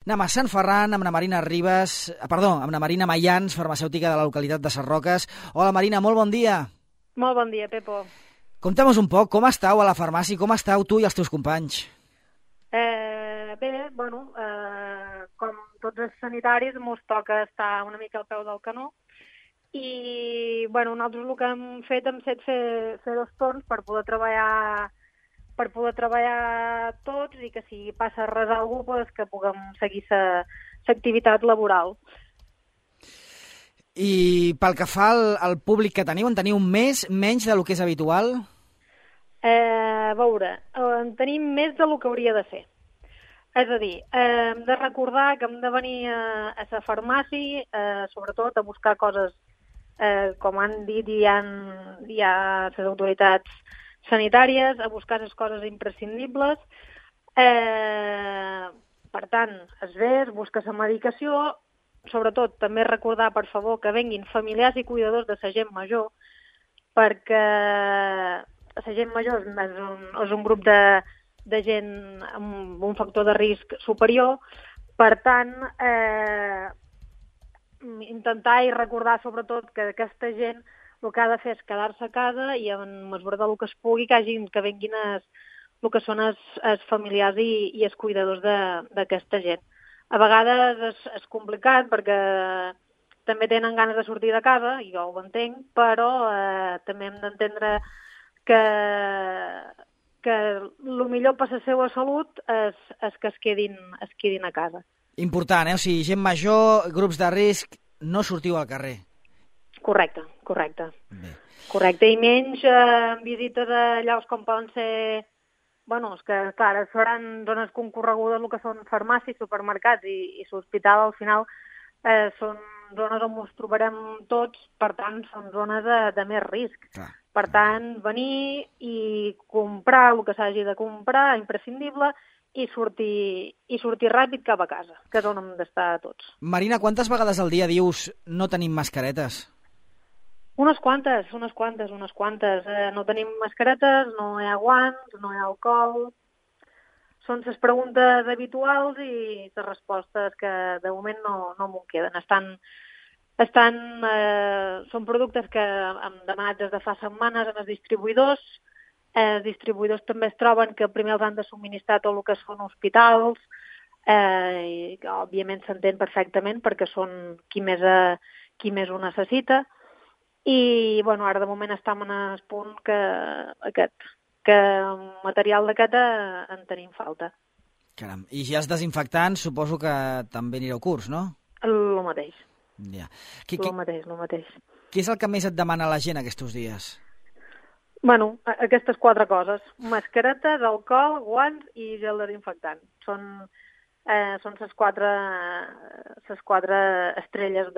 Anem a Sant Ferran amb la Marina amb la Marina Mayans, farmacèutica de la localitat de Sarroques. Hola Marina, molt bon dia. Molt bon dia, Pepo. Conta'm un poc, com estàu a la farmàcia, com estàu tu i els teus companys? Com tots els sanitaris, mos toca estar una mica al peu del canó i nosaltres el que hem fet hem set fer dos torns per poder treballar tots i que si passa res a algú que puguem seguir l'activitat laboral. I pel que fa al públic que teniu, en teniu menys del que és habitual? A veure, en tenim més del que hauria de ser. És a dir, hem de recordar que hem de venir a la farmàcia, sobretot a buscar coses, com han dit ja les autoritats sanitàries, a buscar les coses imprescindibles. Per tant, es ve, es busca la medicació, sobretot també recordar, per favor, que venguin familiars i cuidadors de la gent major, perquè la gent major és un grup de gent amb un factor de risc superior. Per tant, intentar i recordar sobretot que aquesta gent el que ha de fer és quedar-se a casa i en mesura del que es pugui que venguin el que són els familiars i els cuidadors d'aquesta gent. A vegades és complicat perquè també tenen ganes de sortir de casa, i jo ho entenc, però també hem d'entendre que el millor per la seva salut és que es quedin a casa. Important, O sigui, gent major, grups de risc, no sortiu al carrer. Correcte. Bé. Correcte, i menys visites a llocs com poden ser... és que, clar, seran zones concorregudes, el que són farmàcies, supermercats i l'hospital, al final, són zones on ens trobarem tots, per tant, són zones de més risc. Clar. Per tant, venir i comprar el que s'hagi de comprar, imprescindible, i sortir ràpid cap a casa, que és on hem d'estar tots. Marina, quantes vegades al dia dius no tenim mascaretes? Unes quantes. No tenim mascaretes, no hi ha guants, no hi ha alcohol. Són les preguntes habituals i les respostes que de moment no m'ho queden. Són productes que hem demanat des de fa setmanes als distribuïdors. Els distribuïdors també es troben que primer els han de subministrar tot el que són hospitals, i que òbviament s'entén perfectament perquè són qui més ho necessita. I ara de moment estem en el punt que material d'aquest en tenim falta. Caram, i ja els desinfectants suposo que també anireu curts, no? El mateix. Ja. El mateix. Què és el que més et demana la gent aquests dies? Aquestes 4 coses. Mascaretes, alcohol, guants i gel desinfectant. Són les 4 estrelles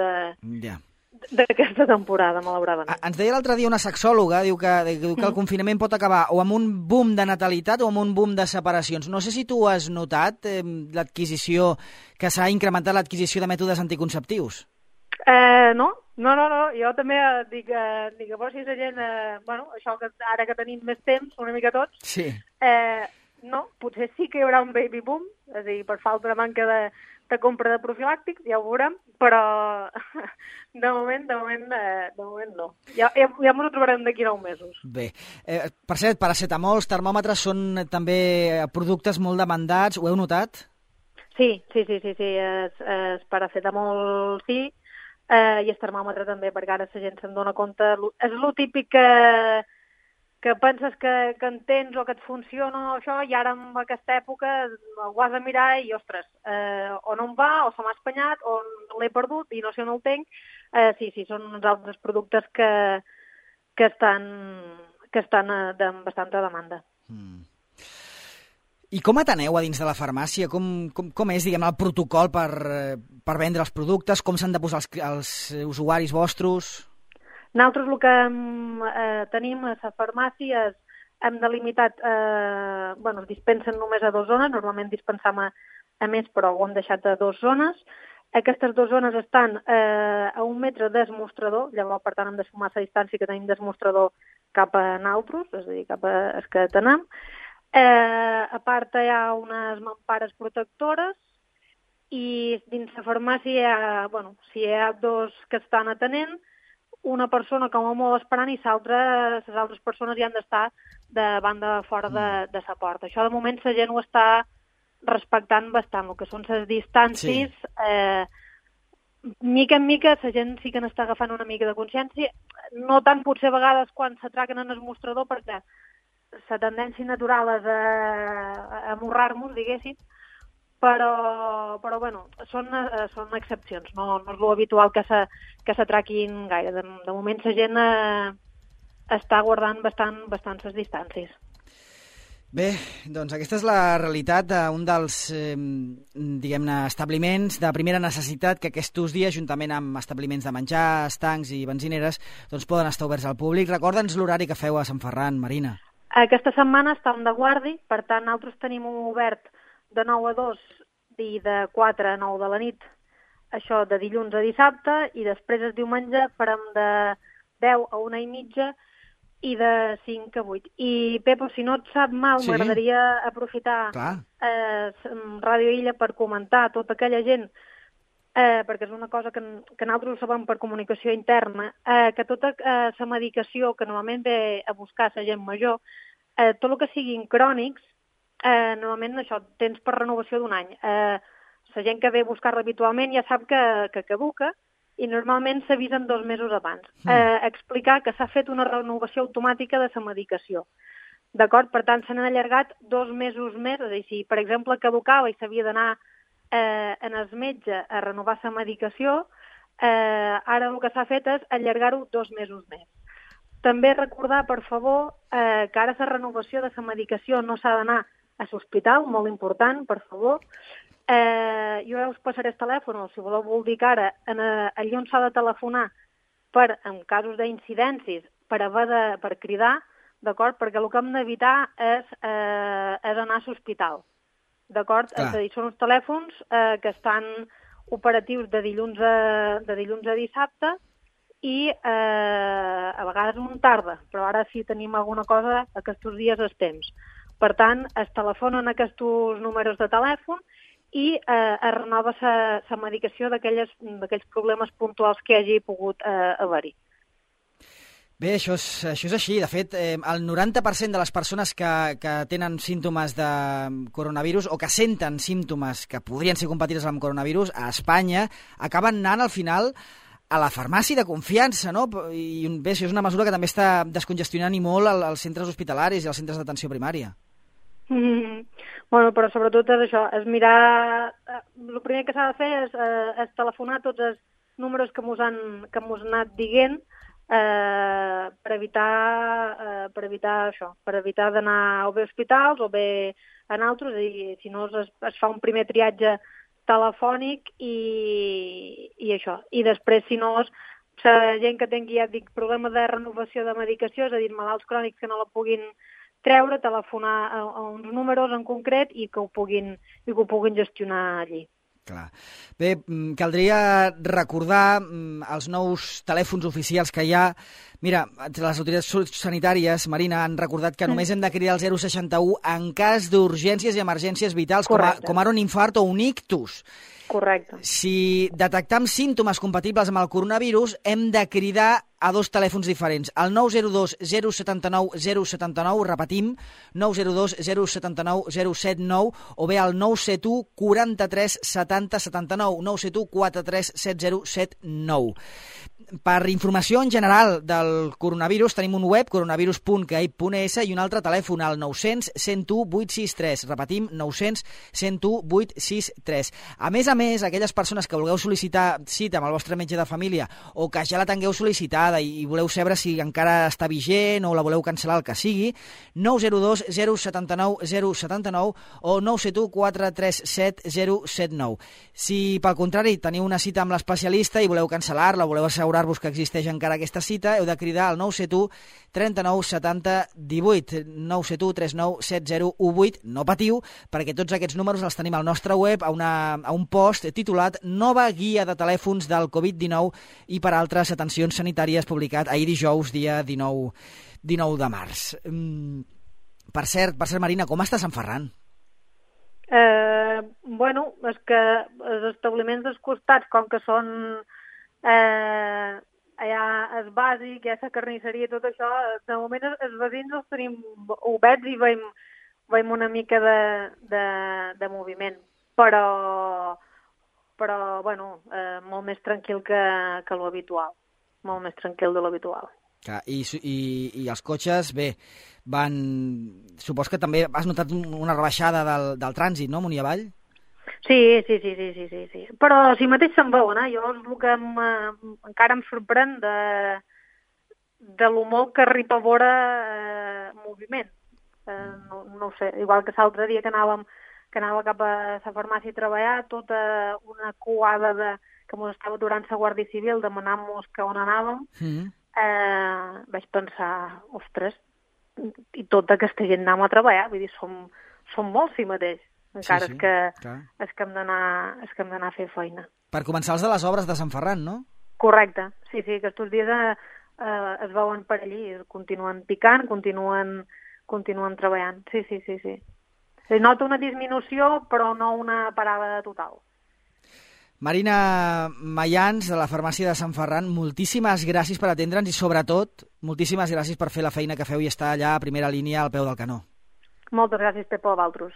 d'aquesta temporada, malauradament. Ens deia l'altre dia una sexòloga, diu que el confinament pot acabar o amb un boom de natalitat o amb un boom de separacions. No sé si tu has notat que s'ha incrementat l'adquisició de mètodes anticonceptius. No. Jo també dic que si la gent, això que ara que tenim més temps, una mica tots, sí. No, potser sí que hi haurà un baby boom, és a dir, per falta de manca de compra de profilàctics, ja ho veurem, però de moment no. Ja ens ho trobarem d'aquí 9 mesos. Bé, per cert, paracetamol, termòmetres són també productes molt demandats, ho heu notat? Sí, el paracetamol sí, i el termòmetre també, perquè ara la gent se'n dona compte. És el típic que penses que entens o que et funciona això, i ara en aquesta època ho has de mirar i, ostres, o no em va, o se m'ha espanyat, o l'he perdut i no sé on el tinc. Sí, són uns altres productes que estan amb bastanta demanda. I com ateneu a dins de la farmàcia? Com és, diguem, el protocol per vendre els productes? Com s'han de posar els usuaris vostres? Nosaltres el que tenim a la farmàcia és hem delimitat, es dispensen només a 2 zones, normalment dispensam a més, però ho hem deixat a 2 zones. Aquestes 2 zones estan a 1 metre del mostrador, llavors per tant hem de sumar la distància que tenim del mostrador cap a nosaltres, és a dir, cap a els que tenem. A part hi ha unes mampares protectores i dins la farmàcia si hi ha 2 que estan atenent, una persona com a molt esperant i les altres persones hi han d'estar de banda fora de la porta. Això de moment la gent ho està respectant bastant, el que són les distàncies. Sí. Mica en mica la gent sí que n'està agafant una mica de consciència, no tant potser a vegades quan s'atraquen en el mostrador, perquè la tendència natural és a morrar-nos, diguéssim, però són excepcions, no és l'habitual que s'atraquin gaire. De moment la gent està guardant bastant les distàncies. Bé, doncs aquesta és la realitat d'un dels, diguem-ne, establiments de primera necessitat que aquests dies, juntament amb establiments de menjar, estancs i benzineres, doncs poden estar oberts al públic. Recorda'ns l'horari que feu a Sant Ferran, Marina. Aquesta setmana estem de guàrdia, per tant, nosaltres tenim obert de 9 a 2 i de 4 a 9 de la nit, això de dilluns a dissabte, i després el diumenge farem de 10 a 1 i mitja i de 5 a 8. I, Pepo, si no et sap mal, sí, m'agradaria aprofitar Ràdio Illa per comentar a tota aquella gent, perquè és una cosa que nosaltres ho sabem per comunicació interna, que tota la medicació que normalment ve a buscar la gent major, tot el que siguin crònics, normalment això tens per renovació d'un any. La gent que ve a buscar-la habitualment ja sap que caduca i normalment s'avisen 2 mesos abans. Explicar que s'ha fet una renovació automàtica de la medicació. D'acord? Per tant, s'han allargat 2 mesos més, és a dir, si per exemple caducava i s'havia d'anar en el metge a renovar la medicació, ara el que s'ha fet és allargar-ho 2 mesos més. També recordar, per favor, que ara la renovació de la medicació no s'ha d'anar a l'hospital, molt important, per favor. Jo us passaré el telèfon, o si voleu dir que ara, allà on s'ha de telefonar en casos d'incidències, per cridar, d'acord? Perquè el que hem d'evitar és anar a l'hospital, d'acord? És a dir, són uns telèfons que estan operatius de dilluns a dissabte i a vegades un tarda, però ara si tenim alguna cosa aquests dies és temps. Per tant, es telefonen aquests números de telèfon i es renova la medicació d'aquells problemes puntuals que hagi pogut haver-hi. Bé, això és així. De fet, el 90% de les persones que tenen símptomes de coronavirus o que senten símptomes que podrien ser compatibles amb coronavirus a Espanya acaben anant al final a la farmàcia de confiança, no? I bé, això és una mesura que també està descongestionant i molt els centres hospitalaris i els centres d'atenció primària. Bueno, però sobretot és això, és mirar... El primer que s'ha de fer és telefonar tots els números que mos han anat dient per evitar això, per evitar d'anar o bé a hospitals o bé a altres, i si no es fa un primer triatge telefònic i això. I després, si no, la gent que tingui, ja dic, problemes de renovació de medicació, és a dir, malalts crònics que no la puguin treure, telefonar a uns números en concret i que ho puguin gestionar allí. Clar. Bé, caldria recordar els nous telèfons oficials que hi ha. Mira, les autoritats sanitàries, Marina, han recordat que només hem de cridar el 061 en cas d'urgències i emergències vitals, com ara un infart o un ictus. Correcte. Si detectam símptomes compatibles amb el coronavirus, hem de cridar a 2 telèfons diferents. El 902 079 079, repetim, 902 079 079, o bé el 971 43 70 79, 971 43 70 79. Per informació en general del coronavirus tenim un web, coronavirus.gai.es, i un altre telèfon, el 900 101 863. Repetim, 900 101 863. A més, aquelles persones que vulgueu sol·licitar cita amb el vostre metge de família o que ja la tingueu sol·licitada i voleu saber si encara està vigent o la voleu cancel·lar, el que sigui, 902 079 079 o 971 437 079. Si, pel contrari, teniu una cita amb l'especialista i voleu cancel·lar-la, voleu assegurar-vos que existeix encara aquesta cita, heu de cridar al 971 39 70 18, 971 39 70 18. No patiu, perquè tots aquests números els tenim al nostre web, a un post titulat Nova guia de telèfons del Covid-19 i per altres atencions sanitàries, publicat ahir dijous, dia 19 de març. Per cert, Marina, com està Sant Ferran? Bueno, és que els establiments dels costats, com que són allà és bàsic, hi ha la carnisseria i tot això, de moment els veïns els tenim oberts i veiem una mica de moviment, però bueno, molt més tranquil que l'habitual, molt més tranquil de l'habitual. I els cotxes, bé, supos que també has notat una rebaixada del trànsit, no, amunt i avall? Sí. Però si mateix se'n veuen, jo el que encara em sorprèn de lo molt que arriba a veure moviment. No ho sé, igual que l'altre dia que anava cap a la farmàcia a treballar, tota una coada que ens estava aturant la Guàrdia Civil demanant-nos que on anàvem, vaig pensar, ostres, i tota aquesta gent anem a treballar, vull dir, som molts si mateix, encara sí, és que hem d'anar a fer feina. Per començar els de les obres de Sant Ferran, no? Correcte, sí, aquests dies es veuen per allí, continuen picant, continuen treballant, sí. Es nota una disminució, però no una parada total. Marina Mayans, de la farmàcia de Sant Ferran, moltíssimes gràcies per atendre'ns i, sobretot, moltíssimes gràcies per fer la feina que feu i estar allà a primera línia al peu del canó. Moltes gràcies, Pepo, a vosaltres.